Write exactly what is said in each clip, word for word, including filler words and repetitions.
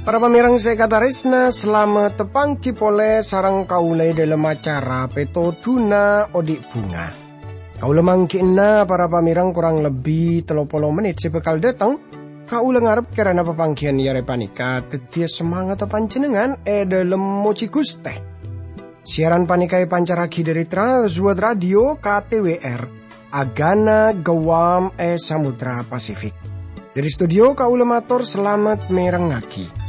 Para pamèrèng sè èkatarèsna, salamet tapangghi polè sareng kaulâ è dhâlem acara Pètodhuna Odi' Bhunga. Kaulâ mangghi'na para pamèrèng korang lebbi tello polo mennit sè bhâkal dâteng. Kaulâ ngarep kèrana papangghiyân è arè panèka dhâddhiyâ samangatta panjhennengngan è dhâlem mojhi Ghustè. Siaran panèka èpancarraghi dhâri Trans World Radio K T W R, Agana Guam è Samudra Pasifik. Dhâri studio kaulâ mator salamet mèrengngaghi.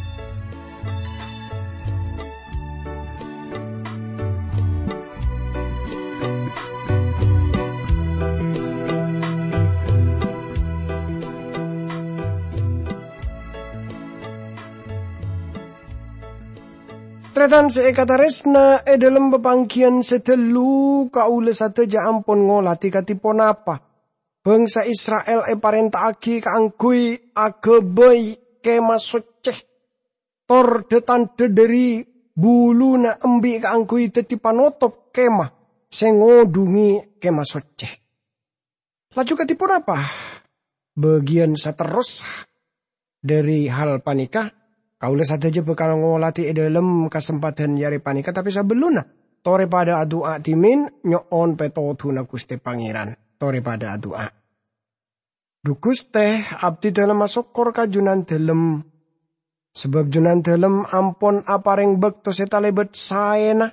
Tarètan sè èkatarèsna, è dhâlem papangghiyân sè dâllu, kaulâ sadhâjâ ampon ngolatè kadhi ponapa bhângsa Isra'il èparènta'aghi kaangghuy aghâbây Kèma Soccè, tor dhâ-tandhâ dhâri buluna embi' kaangghuy dhâddhi panotop kèma sè ngodhungè Kèma Soccè. Laju kadhi ponapa bâgiyân saterrossa dhâri hal panèka? Kaulâ sadhâjâ bhâkal ngolatè è dhâlem kasempadhân è arè panèka, tapè sabellunna, torè padâ adu'a dhimèn nyo'on pètodhuna Ghustè Pangèran. Torè padâ adu'a. Dhu Ghustè, abdhi dhâlem asokkor ka Jhunandhâlem, sabâb Jhunandhâlem ampon aparèng bâkto sè talèbât saèna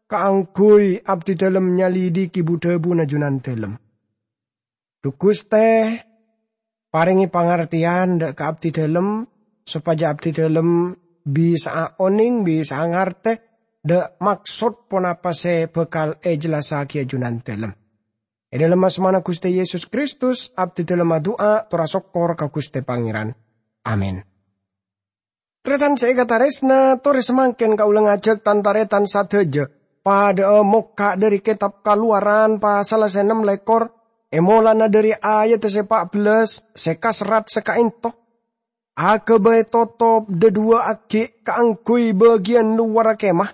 kaangghuy abdhi dhâlem nyalidhighi bu-dhâbuna Jhunandhâlem. Dhu Ghustè, parèngè pangartèyan dhâ' ka abdhi dhâlem, sopajâ abdhi dhâlem bisa'a onèng, bisa'a ngartè dhâ' maksod ponapa sè bhâkal èjellassaghiyâ Jhunandhâlem. È dhâlem asmana Ghustè Yesus Kristus, abdhi dhâlem adu'a tor asokkor ka Ghustè Pangèran. Amin. Tarètan sè èkatarèsna, torè samangkèn kaulâ ngajhâk tan-tarètan sadhâjâ padâ'â mokka' dhâri Kètab Kalowaran pasal sè ennem lèkor, è molana dhâri ayadda sè pa' bellâs sè kaserrat sakaènto. Aghâbây totop dhâduwâ aghi' kaangghuy bâgiyân lowarra kèma,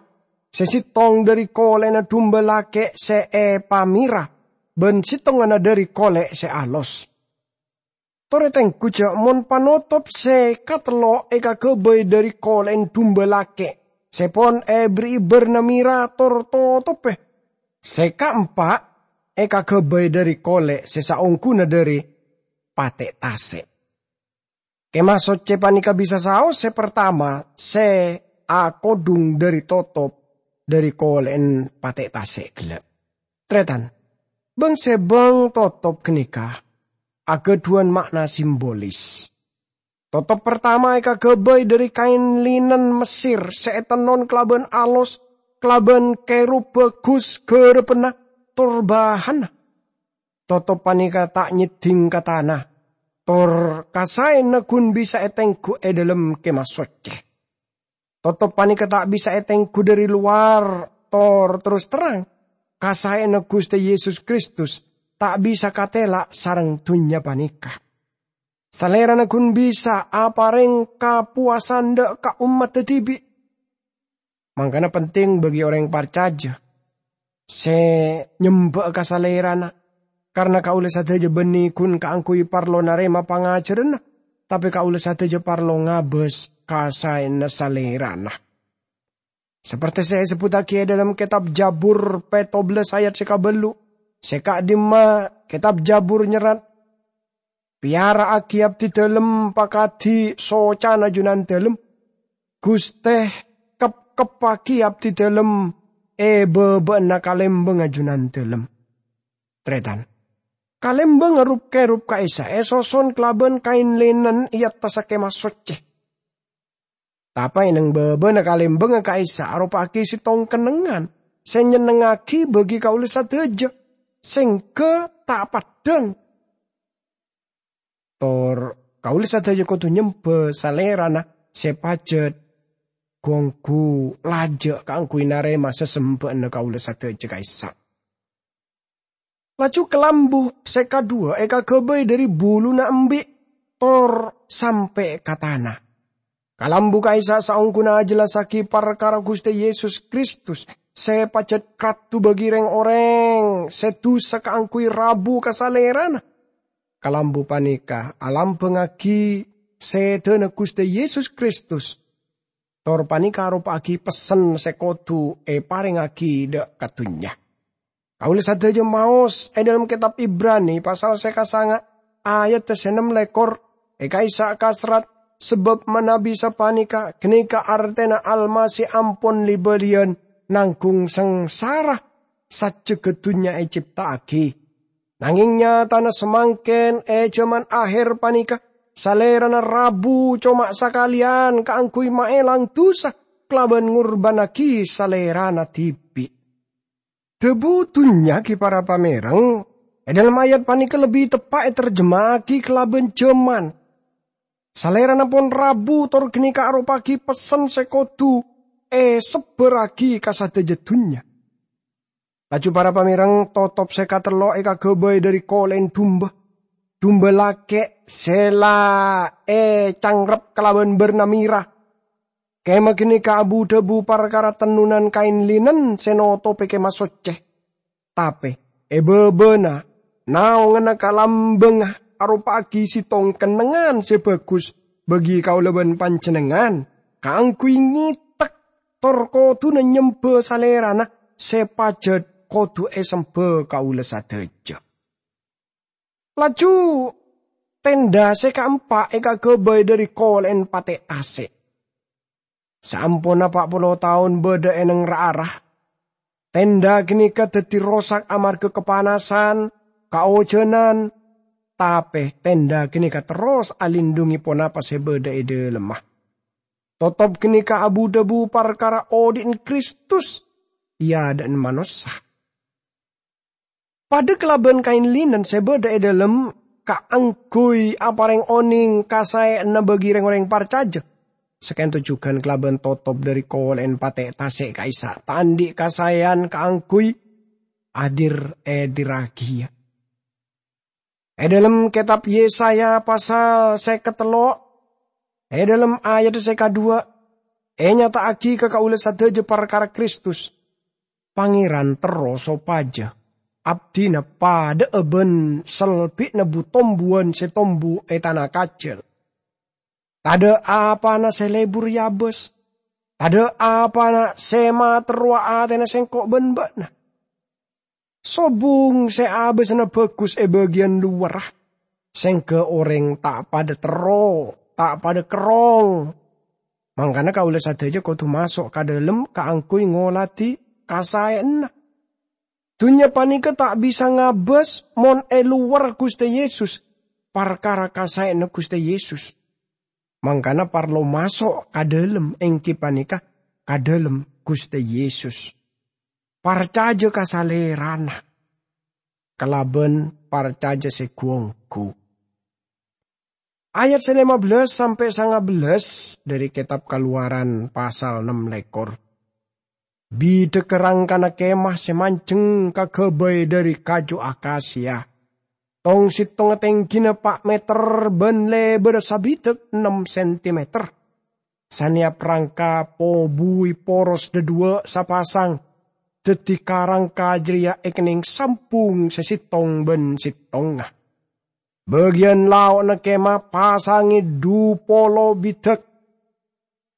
sè sèttong dhâri kolè'na dumba lakè' sè èpamèra, bân sèttongnga dhâri kolè' sè alos. Torè tèngghu jâ' mon panotop sè katello' èkaghâbây dhâri kolè'en dumba lakè' sè pon èberri'i bârna mèra tor totobbhâ. Sè kaempa' èkaghâbây dhâri kolè' sè saongghuna dhâri patè' tasè'. Kèma Soccè panèka bisa saos sè partama sè akodhung dhâri totop dhâri kolè'en patè' tasè' ghellâ'. Tarètan, bâng-sèbâng totop ghânèka aghâdhuwân ma'na simbolis. Totop partama èkaghâbây dhâri kaèn linen Messèr sè ètennon kalabân alos, kalabân kèrub bhâghus ghârâbânna tor bahanna. Totop panèka ta' nyeddhing ka tana, tor kasaèna ghun bisa ètèngghu è dhâlem Kèma Soccè. Totop panèka ta' bisa ètèngghu dhâri lowar, tor terros terrang, kasaèna Ghustè Yesus Kristus ta' bisa katèla' sareng dhunnya panèka. Salèrana ghun bisa aparèng kapowasan dhâ' ka ommaddhâ dhibi'. Mangkana penting bagi orèng parcajâ sè nyembâ'â ka Salèrana, karna kaulâ sadhâjâ bânnè ghun kaangghuy parlo narèma pangajhârânna, tapè kaulâ sadhâjâ parlo ngabâs kasaèna Salèrana. Sapertè sè èsebbhuttaghi è dhâlem Kètab Jabur pètto bellâs ayat sè kabâllu', sè ka'dimma Kètab Jabur nyerrat, "Pèyara'aghi abdhi dhâlem pakadhi socana Jhunandhâlem. Ghustè, kep-keppaghi abdhi dhâlem è bâbâ'na kalèmbângnga Jhunandhâlem." Tarètan, kalèmbângnga rup-kèrub ka'issa' èsoson kalabân kaèn linen è attassa Kèma Soccè. Tapè è neng bâbâna kalèmbângnga ka'issa' aropa'aghi sèttong kennengngan sè nyennengngaghi bagi kaulâ sadhâjâ, sèngghâ ta' peddhâng. Tor kaulâ sadhâjâ kodhu nyembâ Salèrana sè pajhât, ghu-ongghu lajâ' kaangghuy narèma sasembâ'ânna kaulâ sadhâjâ ka'issa'. Laju kalambu sè kadhuwâ èkaghâbây dhâri buluna embi', tor sampè' ka tana. Kalambu ka'issa' saongghuna ajellassagi parkara Guste Yesus Kristus se pajat kraddu bagi reng-oreng se dusa kaangguy rabu ka Salerana. Kalambu paneka alambangngagi sedana Guste Yesus Kristus, tor paneka aropa'agi pessen se kodu eparengngagi dha' ka dunnya. Kaula sadaja maos e dhalem Ketab Ibrani pasal se kasanga ayat se ennem lekor, e ka'issa' kaserrat, "Sabab manabi sapaneka, ganeka artena Almasih ampon li-baliyan nanggung sangsara sajjegga dunnya ecipta'agi. Nangeng nyatana samangken e jaman aher paneka, Salerana rabu coma sakaleyan kaangguy maelang dusa kalaban ngorbannagi Salerana dibi'." Dhabu dunnya gi para pamereng, e dhalem ayat paneka lebbi teppa' eterjema'agi kalaban jaman. Salerana pon rabu tor ganeka aropa'agi pessen se kodu esebbarragi ka sadaja dunnya. Laju para pamereng, totop se katello' ekagabay dhari kole'en dumba. Dumba lake' se la ecangrep kalaban barna mera. Kemah ganeka abu-dhabu parkara tennonan kaen linen se notope Kemah Socce. Tape, e babana, naonganna kalambangnga aropa'agi settong kennengngan se bagus bagi kaula ban panjennengngan kaangguy ngetek tor koduna nyemba Salerana se pajat kodu esemba kaula sadaja. Laju tenda se kaempa' ekagabay dhari kole'en pate' tase'. Saamponna pa' polo taon badha e neng ra-ara, tenda ganeka daddi rosak amarga kapanasan, kaojanan, tape tenda ganeka terros alindhunge ponapa se badha e dhalemma. Totop ganeka abu-dhabu parkara odhi'na Kristus e adha'na manossa. Padha kalaban kaen linen se badha e dhalem kaangguy apareng oneng kasae'anna bagi reng-oreng parcaja, sakento jugan kalaban totop dhari kole'en pate' tase' ka'issa' ta' andhi' kasae'an kaangguy adir-edirragiya. E dhalem Ketab Yesaya pasal seket tello', e dhalem ayat se kadhuwa', enyata'agi ka kaula sadaja parkara Kristus. Pangeran terro sopaja abdina padha'a ban selbi'na bu-tombuwan se tombu e tana kajal. Tadha' apana se lebur Yabas, tadha' apana se materrowa atena Sengko' ban ba'na. Sobung se abasana bagus e bagiyan lowarra, sengga oreng ta' padha terro, ta' padha kerrong. Mangkana kaula sadaja kodu maso' ka dhalem kaangguy ngoladi kasae'anna. Dunnya paneka ta' bisa ngabas mon e lowarra Guste Yesus, parkara kasae'anna Guste Yesus. Mangkana parlo maso' ka dhalem, enggi paneka ka dhalem Guste Yesus. Parcaja ka Salerana kalaban parcaja se gu-onggu. Ayat se lima belas sampe' sanga bellas dhari Ketab Kalowaran pasal nem lekor. Bidhagga rangkana kemah se manjeng kagabay dhari kaju akasia. Tong-settongnga tenggina pa' meter ban lebarra sabidhak ennem sentimeter. Saneyap rangka pobuwi poros dhadhuwa' sapasang, daddi ka-rangka jareya ekenneng sambung se settong ban settongnga. Bagiyan lao'na kemah pasange dhu polo bidhak,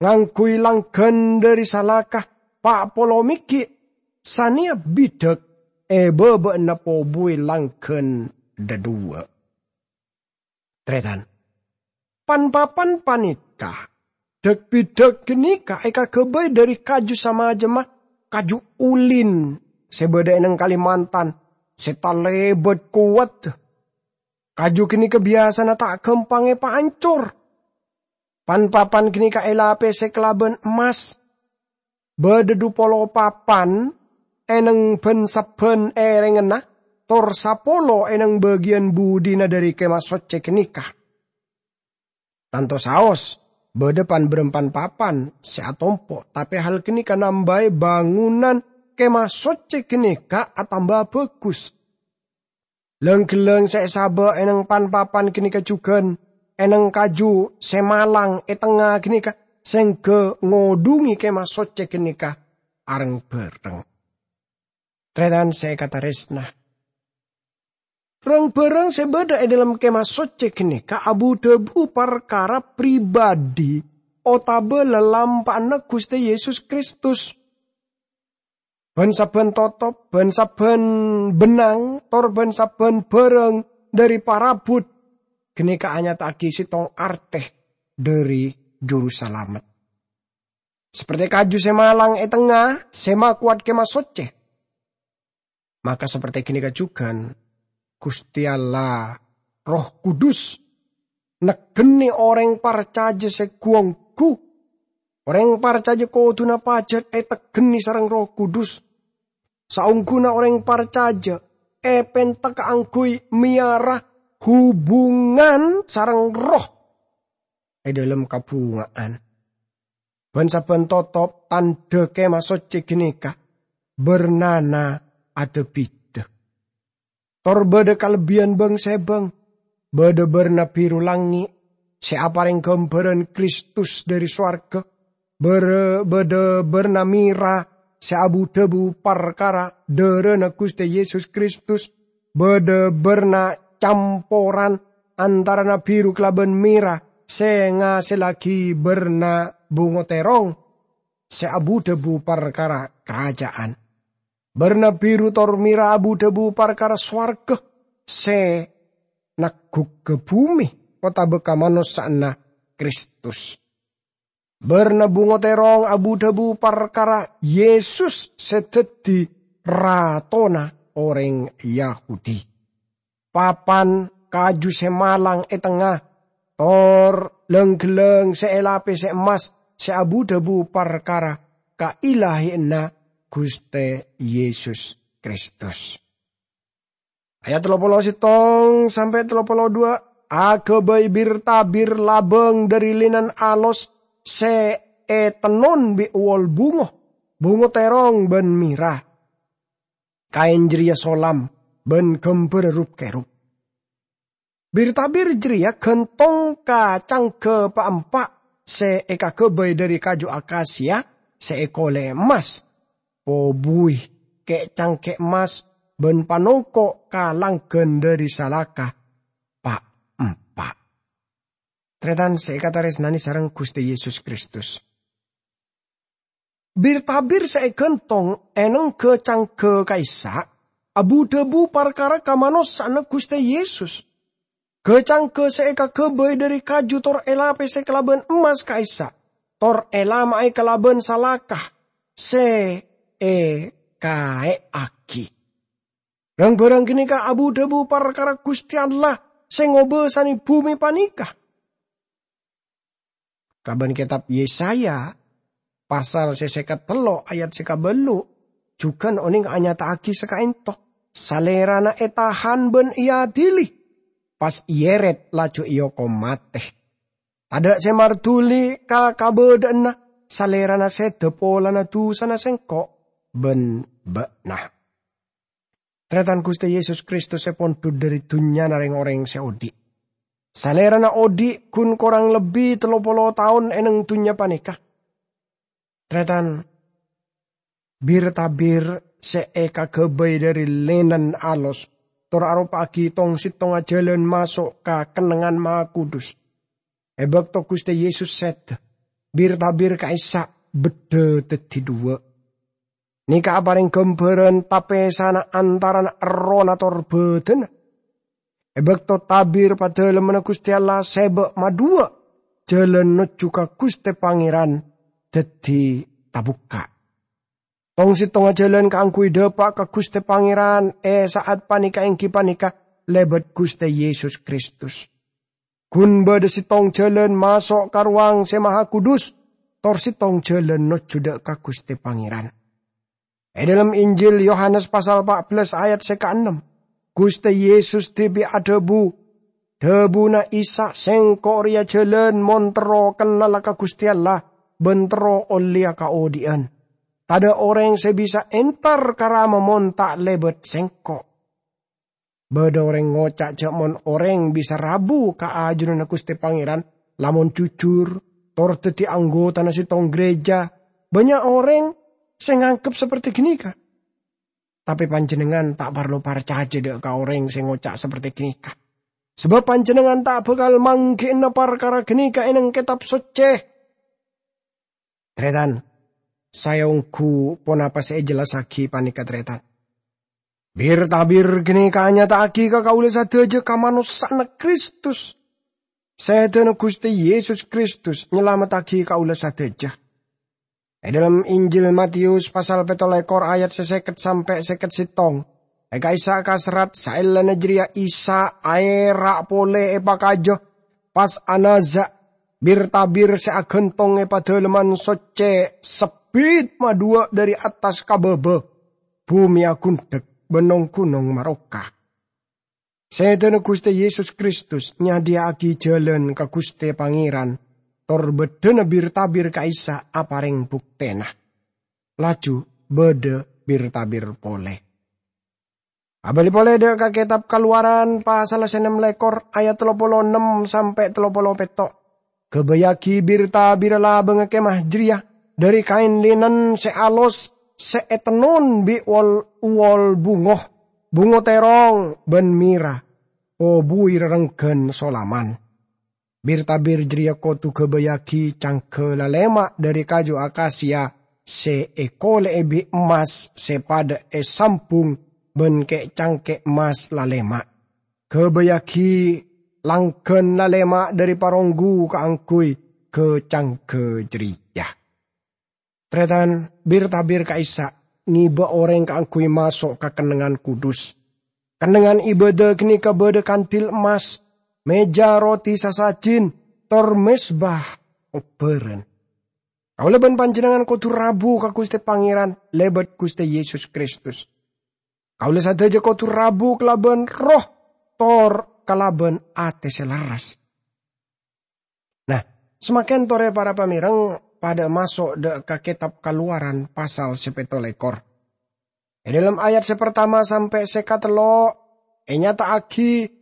ngangguy langgan dhari salaka pa' polo meggi', saneyap bidhak e baba'anna pobuwi langgan dhadhuwa'. Taretan, pan-papan paneka, dhak-bidhak ganeka ekagabay dhari kaju samajemma kaju ulin se badha e neng Kalimantan, se talebat kowat. Kaju ganeka biyasana ta' gampang epaancor. Pan-papan ganeka elapese kalaban emmas. Badha dhu polo papan e neng ban-sabban erengnganna, tor sapolo e neng bagiyan budina dhari Kemah Socce ganeka. Tanto saos, badha pan-barampan papan se atompo', tape hal ganeka nambahe bangunan Kemah Socce ganeka atamba bagus. Lang-ghellang se esaba' e neng pan-papan ganeka jugan, e neng kaju se malang e tengnga ganeka, sengga ngodhungi Kemah Socce ganeka areng-bareng. Tarètan sè èkatarèsna, rang-barang sè bâdâ è dâlem Kemah Socce ganeka abu-dhâbu parkara pribadhi otabâ lalampa'anna Ghustè Yesus Kristus. Bân-sabbhân totop, bân-sabbhân bennang, tor bân-sabbhân bhârâng dhâri parabhut ganeka anyata'aghi sèttong artè dhâri Jurusalamet. Sapertè kaju sè malang è tengnga sè makowat Kemah Socce, maka sapertè ganeka jhughân Ghustè Allah, Erroh Kudus, negghâna orèng parcajâ sè ghu-ongghu. Orèng parcajâ kodhuna pajhât ètegghâna sareng Erroh Kudus. Saongghuna orèng parcajâ èpènta kaangghuy mèyara hubungan sareng Erroh è dâlem kabhunga'an. Bân-sabbhân totop tandhâ Kemah Socce ganeka bârnana adâ-bidâ. Tor bâdâ kalebbiyân bâng-sèbâng, bâdâ bârna biru langngè' sè aparèng ghâmbhârân Kristus dhâri sowarghâ, bârâ-, bâdâ bârna mèra sè abu-dhâbu parkara dhârâna Ghustè Yesus Kristus, bâdâ bârna camporan antarana biru kalabân mèra sè ngasellaghi bârna bungo tèrong sè abu-dhâbu parkara karaja'an. Bârna biru tor mèra abu-dhâbu parkara sowarghâ sè nagghughâ bhumè otabâ ka manossa'anna Kristus. Bârna bungo tèrong abu-dhâbu parkara Yesus sè dhâddhi Ratona orèng Yahudi. Papan kaju sè malang è tengnga, tor lang-ghellâng sè èlapèsè emmas sè abu-dhâbu parkara kailahiyanna Ghustè Yesus Kristus. Ayat tello polo sèttong sampè' tello polo duwâ', aghâbây bir-tabir labâng dhâri linen alos sè ètennon bi' wol bungo, bungo tèrong bân mèra. Kaèn jârèya solam bân ghâmbhârrâ rup-kèrup. Bir-tabir jârèya ghântong ka cangghâ pa'-empa' sè èkaghâbây dhâri kaju akasia sè èkolè emmas, pobuwi kè'-cangkè' emmas bân panongko' ka langghân dhâri salaka pa'-empa'. Tarètan sè èkatarèsnanè sareng Ghustè Yesus Kristus. Bir-tabir sè èghântong è nengghâ cangghâ ka'issa' abu-dhâbu parkara ka manossa'anna Ghustè Yesus. Ghâ-cangghâ sè èkaghâbây dhâri kaju tor èlapèsè kalabân emmas ka'issa', tor èlama'è kalabân salaka sè èkaè'aghi. Rang-bhârâng ganèka abu-dhâbu parkara Ghustè Allah sè ngobâsanè bhumè panèka. Kalabân kètab Yesaya, pasal sè sèket tello' ayat sè kabâllu', jhughân onèng anyata'aghi sakaènto, Salèrana ètahan bân èadili, pas èèrèt laju èokom matè. Tadâ' sè marduli ka kabâdâ'ânna Salèrana sèdhâ polana dusana sèngko' bân bâ'na. Tarètan Ghustè Yesus Kristus èpondhut dhâri dhunnyana rèng-orèng sè odi'. Salèrana odi' ghun korang lebbi tello polo taon è neng dhunnya panèka. Tarètan, bir-tabir sè èkaghâbây dhâri linen alos, tor aropa'aghi tong-sèttongnga jhâlân maso' ka kennengngan mahakudus. È bâkto Ghustè Yesus sèdhâ, bir-tabir ka'issa' beddhâ dhâddhi dhuwâ'. Nèka aparèng ghâmbhârân tapèsana antarana errohna tor bâdânna. È bâkto tabir padâlemmanna Ghustè Allah sèbâ' maduwâ', jhâlân nojjhu ka Ghustè Pangèran dhâddhi tabukka'. Tong-sèttongnga jhâlân kaangghuy dâpa' ka Ghustè Pangèran è sa'at panèka èngghi panèka lèbât Ghustè Yesus Kristus. Ghun bâdâ sèttong jhâlân maso' ka Rowang Sè Mahakudus, tor sèttong jhâlân nojjhu dâ' ka Ghustè Pangèran. È dâlem Injil Yohanes pasal pa' bellâs ayat sè kaennem, Ghustè Yesus dhibi' adhâbu, dhâbuna Isa, "Sèngko' rèya jhâlân, mon terro kennala ka Ghustè Allah, bân terro ollèya kaodi'ân. Tadâ' orèng sè bisa entar ka Rama mon ta' lèbât Sèngko'." Bâdâ orèng ngoca' jhâ' mon orèng bisa rabu ka ajunanna Ghustè Pangèran, lamon jujur, tor daddi anggotana settong gereja. Bannya' oreng se nganggep saperti ganeka. Tape panjennengngan ta' parlo parcaja dha' ka oreng se ngoca' saperti ganeka, sabab panjennengngan ta' bakal manggi'ana parkara ganeka e neng Ketab Socce. Taretan, sae onggu ponapa se ejellasagi paneka, taretan. Bir-tabir ganeka anyata'agi ka kaula sadaja kamanossa'anna Kristus. Sedana Guste Yesus Kristus nyalamettagi kaula sadaja. E dhalem Injil Matius pasal petto lekor ayat se seket sampe' seket settong, e ka'issa' kaserrat, saellana jareya Isa aera' pole epakaja, pas anaza', bir-tabir se agantong e Padalemman Socce sebbit madhuwa' dhari attas ka baba. Bume agundhek ban nong-gunong maroka. Sedana Guste Yesus Kristus nyadhiya'agi jalan ka Guste Pangeran, tor baddhana bir-tabir ka'issa' apareng buktena. Laju badha bir-tabir pole. Abali pole dha' ka Ketab Kalowaran, pasal se ennem lekor, ayat tello polo ennem sampe' tello polo petto'. Gabayyagi bir-tabirra labangnga kemah jareya dhari kaen linen se alos se etennon bi' wol-, uwol bungo, bungo terrong, ban mera, pobuwi rerenggan solaman. Bir-tabir jareya kodu gabayyagi cangga lalema' dhari kaju akasia se ekole'e bi' emmas se padha esambung ban ke'-cangke' emmas lalema'. Gabayyagi langgan lalema' dhari paronggu kaangguy ka-cangga jareya. Taretan, bir-tabir ka'issa' ngeba oreng kaangguy maso' ka kennengngan kudus. Kennengngan ibadah ganeka badha kandil emmas, meja roti sasajin, tor mezbah obbaran. Kaula ban panjennengngan kodu rabu ka Guste Pangeran lebat Guste Yesus Kristus. Kaula sadaja kodu rabu kalaban roh tor kalaban ate se lerres. Nah, samangken tore para pamereng padha maso' dha' ka Ketab Kalowaran pasal se petto lekor. E dhalem ayat se partama sampe' se katello' enyata'agi,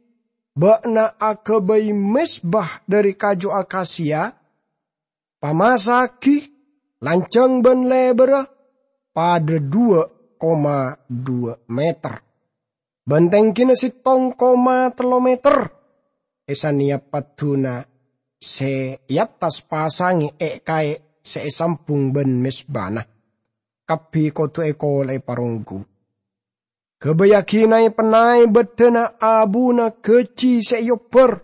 "Ba'na agabay mezbah dhari kaju akasia, pamasa'agi, lanjhang ban lebarra padha dhuwa koma dhuwa meter, ban tenggina settong koma tello meter. Esaneyap padduna se e attas pasange e kae' se esambung ban mezbana. Kabbi kodu ekole'e paronggu. Gabayyagi nae-pennae baddhana abuna gaji se eobbar,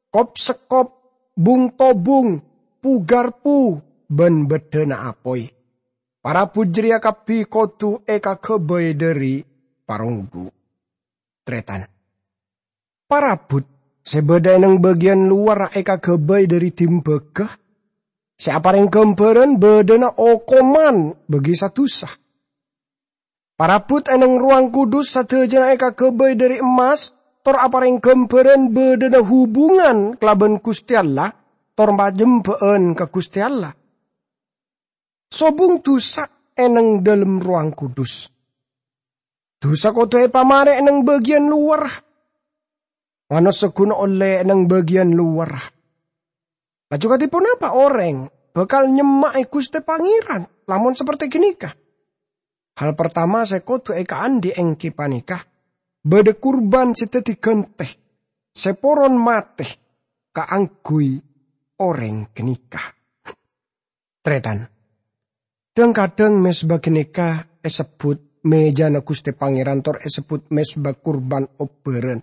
kop-sekkop, bung-tobung, pu-garpu, ban baddhana apoy. Parabut jareya kabbi kodu ekagabay dhari paronggu." Taretan, parabut se badha e neng bagiyan lowarra ekagabay dhari dimbaga, se apareng gambaran badhana okoman bagi sadusa. Parabut e neng Rowang Kudus sadajana ekagabay dhari emmas, tor apareng gambaran badhana hubungan kalaban Guste Allah, tor panyemba'an ka Guste Allah. Sobung dusa e neng dhalem Rowang Kudus. Dusa kodu epamare e neng bagiyan lowarra. Manossa gun olle e neng bagiyan lowarra. Laju kadi ponapa oreng bakal nyemma'e Guste Pangeran lamon saperti ganeka? Hal partama se kodu ekaandhi' enggi paneka badha kurban se daddi gante, se poron mate kaangguy oreng ganeka. Taretan, dhang-kadhang mezbah ganeka esebbut mejana Guste Pangeran tor esebbut mezbah kurban obbaran.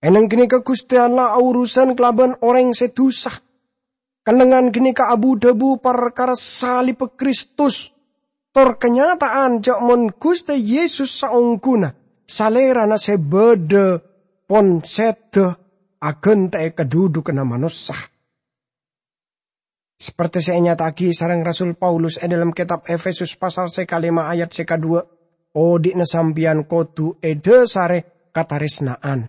E neng ganeka Guste Allah aurusan kalaban oreng se dusa. Kennengngan ganeka abu-dhabu parkara salibba Kristus, tor kanyata'an ja' mon Guste Yesus saongguna Salerana se badha pon seda agante'e kadhudhuganna manossa. Saperti se enyata'agi sareng Rasul Paulus e dhalem Ketab Efesus pasal se kalema ayat se kadhuwa, "Odhi'na sampeyan kodu edhasare kataresna'an,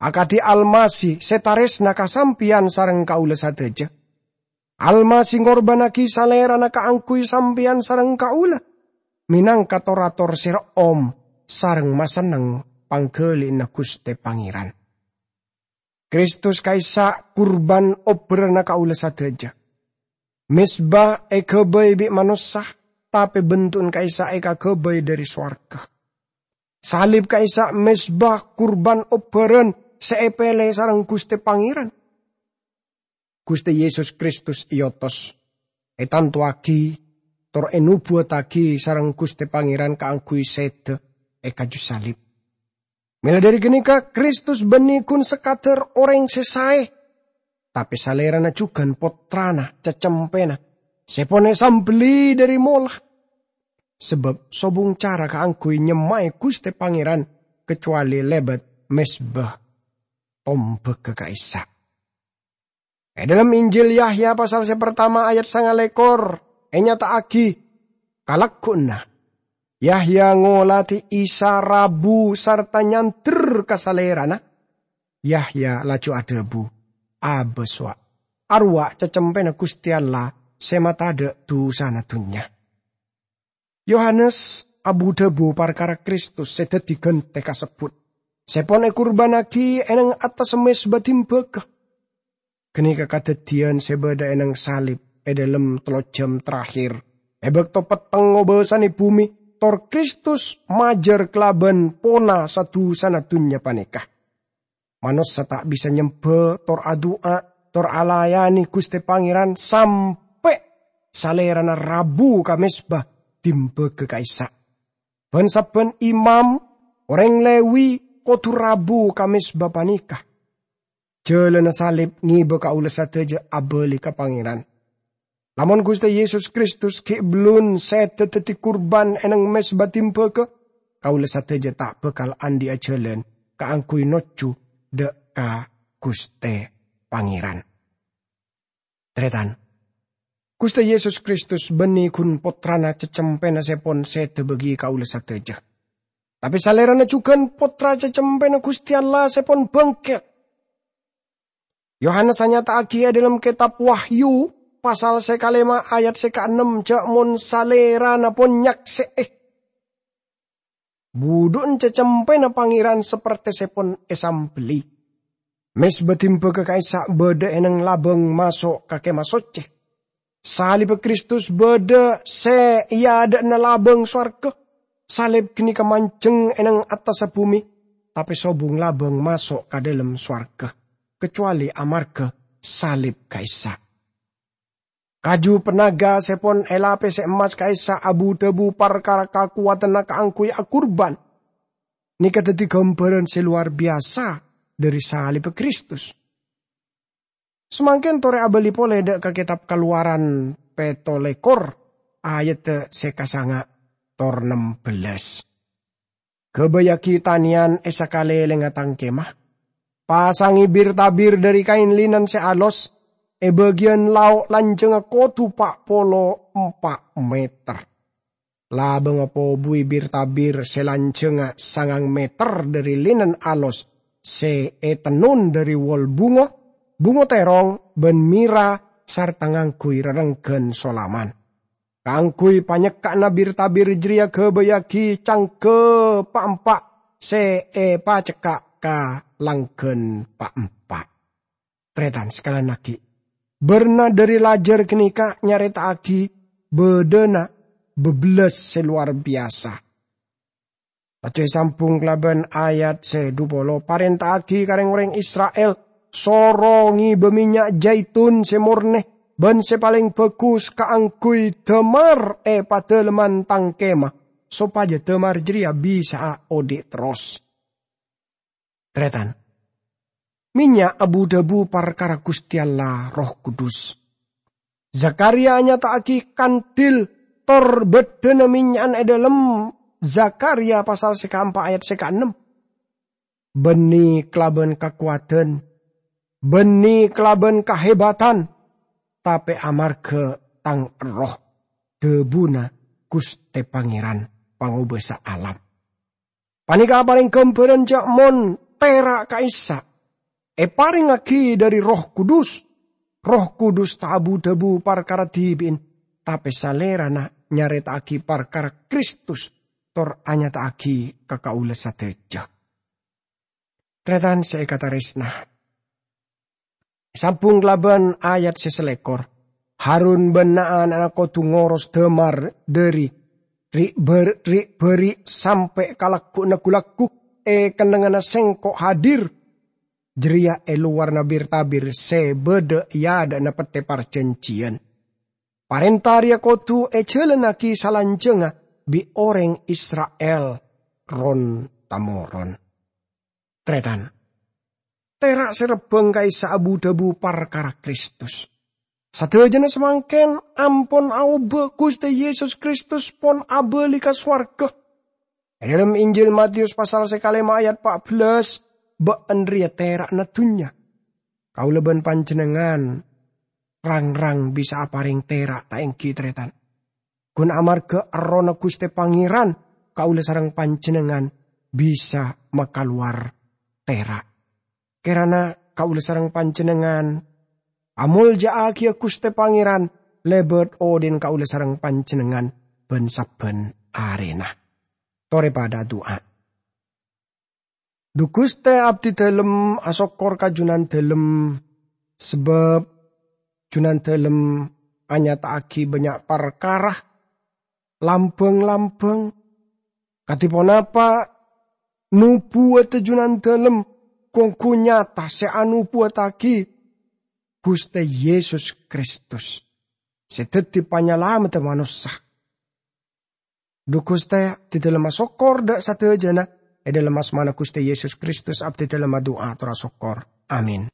akadi Almasih se taresna ka sampeyan sareng kaula sadaja." Almasih ngorbannagi Salerana kaangguy sampeyan sareng kaula, menangka tor-ator se re'om sareng masenneng panggali'anna Guste Pangeran. Kristus ka'issa' kurban obbaranna kaula sadaja. Mezba èghâbây bi' manossa, tapè bendhu'na ka'issa' èkaghâbây dhâri sowarghâ. Salib ka'issa' mezba kurban obhârân sè èpèlè sareng Ghustè Pangèran. Ghustè Yesus Kristus èotos, ètantowaghi, tor ènobuwattaghi sareng Ghustè Pangèran kaangghuy sèdhâ è kaju salib. Mèla dhâri ghânèka, Kristus bânnè ghun sakadhâr orèng sè saè, tapè Salèrana jhughân Pottrana cacempèna sè pon èsambelli dhâri mola. Sabâb sobung cara kaangghuy nyemmaè Ghustè Pangèran kacowalè lèbât mezba tombhâghâ ka'issa'. È dhâlem Injil Yahya pasal sè partama ayat sangalèkor ènyata'aghi kalagghuwânna. Yahya ngolatè Isa rabu sarta nyandher ka Salèrana. Yahya laju adhâbu, "Abâs, wa', arowa' cacempèna Ghustè Allah sè matadâ' dusana dhunnya." Yohanes abu-dhâbu parkara Kristus sè dhâddhi ghântè kasebbhut, sè pon èkurbânnaghi è neng attassa mezba dimbâghâ. Ghânèka kadhâddhiyân sè bâdâ è neng salib è dhâlem tello jhâm terakhir, è bâkto petteng ngobâsanè bhumè, tor Kristus majâr kalabân pona sa-dusana dhunnya panèka. Manossa ta' bisa nyembhâ, tor adu'a, tor alayanè Ghustè Pangèran sampè' Salèrana rabu ka mezba dimbâghâ ka'issa'. Bân-sabbhân imam, orèng Lewi, kodhu rabu ka mezba panèka. Jhâlânna salib ngèbâ kaulâ sadhâjâ abâli ka Pangèran. Lamon Ghustè Yesus Kristus ghi' bellun sèdhâ dhâddhi kurban è neng mezba dimbâghâ, kaulâ sadhâjâ ta' bhâkal andi'â jhâlân kaangghuy nojjhu dâ' ka Ghustè Pangèran. Tarètan, Ghustè Yesus Kristus bânnè ghun Pottrana cacempèna sè pon sèdhâ bâgi kaulâ sadhâjâ. Tapè Salèrana jhughân Pottra cacempèna Ghustè Allah sè pon bângkèt. Yohanes anyata'aghi è dhâlem Kètab Wahyu, pasal sè kalèma' ayat sè kaennem, jâ' mon Salèrana pon nyaksè'è. Budhu'na cacempèna Pangèran sapertè sè pon èsambelli. Mezba dimbâghâ ka'issa' bâdâ è neng labâng maso' ka Kèmah Soccè. Salibbhâ Kristus bâdâ sè è adâ'na labâng sowarghâ. Salib ghânèka manjheng è neng attassa bhumè, tapè sobung labâng maso' ka dhâlem sowarghâ, kacowalè amarghâ salib ka'issa'. Kaju panèka sè pon èlapèsè emmas ka'issa' abu-dhâbu parkara kakowadhânna kaangghuy akurban. Nèka dhâddhi ghâmbhârân sè lowar biyasa dhâri salibbhâ Kristus. Samangkèn torè abâli polè dâ' ka Kètab Kalowaran pètto lèkor, ayadda sè kasanga' tor nem bellâs. Ghâbâyyâghi tanèyan è sakalèlèngnga tang kèma. Pasangè bir-tabir dhâri kaèn linen sè alos, è bâgiyân lao' lanjhângnga kodhu pa' polo empa' mèter. Labângnga pobuwi bir-tabir sè lanjhângnga sangang mèter dhâri linen alos sè ètennon dhâri wol bhunga, bhunga tèrong, bân mira, sarta ngangghuy rarengghân solaman. Kaangghuy panyekka'na bir-tabir jârèya ghâbâyyâghi cangghâ pa'-empa' sè èpacekka' ka langghân pa'-empa'. Tarètan sakalèyan aghi', bârna dhâri lajâr ghânèka nyarèta'aghi bâdâna bâbellâs sè lowar biyasa. Laju èsambhung kalabân ayat sè dhu polo, "Parènta'aghi ka rèng-orèng Isra'il, soro ngèbâ mènnya' jaitun sè mornè bân sè palèng bhâghus kaangghuy dâmar è padâlemman tang kèma, sopajâ dâmar jârèya bisa'a odi' terros." Tarètan, mènnya' abu-dhâbu parkara Ghustè Allah, Erroh Kudus. Zakarya nyata'aghi kandil tor bâddhâna mènnya'an è dhâlem Zakarya pasal sè kaempa' ayat sè kaennem. "Bânnè kalabân kakowadhân, bânnè kalabân kahèbatan, tapè amarghâ Tang Erroh," dhâbuna Ghustè Pangèran, Pangobâsa alam. Panèka aparèng ghâmbhârân jâ' mon tèra' ka'issa' èparèngngaghi dhâri Erroh Kudus. Erroh Kudus ta' abu-dhâbu parkara dhibi'en, tapè Salèrana nyarèta'aghi parkara Kristus tor anyata'aghi ka kaulâ sadhâjâ. Tarètan sè èkatarèsna, sambhung kalabân ayat sè salèkor. Harun bân na'-ana'na kodhu ngoros dâmar dhâri ri'-bâr-, ri'-bâri' sampè' ka lagghu'na ghu-lagghu è kennengnganna Sèngko' hadir. Jârèya è lowarra bir-tabir sè bâdâ è adâ'na Pettè Parjhânjhiyân. Parènta rèya kodhu èjhâlânnaghi salanjhângnga bi' orèng Isra'il ron-tamoron. Tarètan, tèra' sè rebbhâng ka'issa' abu-dhâbu parkara Kristus. Sadhâjâna samangkèn ampon aobâ, Ghustè Yesus Kristus pon abâli ka sowarghâ. È dhâlem Injil Matius pasal sè kalèma ayat pa' bellâs, bâ'ân rèya tèra'na dhunnya. Kaulâ bân panjhennengngan rang-rang bisa aparèng tèra' ta' ènggi, tarètan? Ghun amarghâ Errohna Ghustè Pangèran, kaulâ sareng panjhennengngan bisa makalowar tèra'. Kèrana kaulâ sareng panjhennengngan amolja'aghiyâ Ghustè Pangèran lèbât odhi'na kaulâ sareng panjhennengngan bân sabbhân arèna. Torè padhâ adu'a. Dhu Ghustè, abdhidhâlem asokkor ka Junandhâlem, sabâb Junandhâlem anyata'aghi bânnya' parkara, lambâng-lambâng, kadhi ponapa nobuwadda Junandhâlem ghu-ongghu nyata sè anobuwattaghi Ghustè Yesus Kristus, sè dhâddhi Panyalameddhâ manossa. Dhu Ghustè, abdhidhâlem asokkor dhâ' sadhâjâna, è dhâlem asmana Ghustè Yesus Kristus abdhidhâlem adu'a tor asokkor. Amin.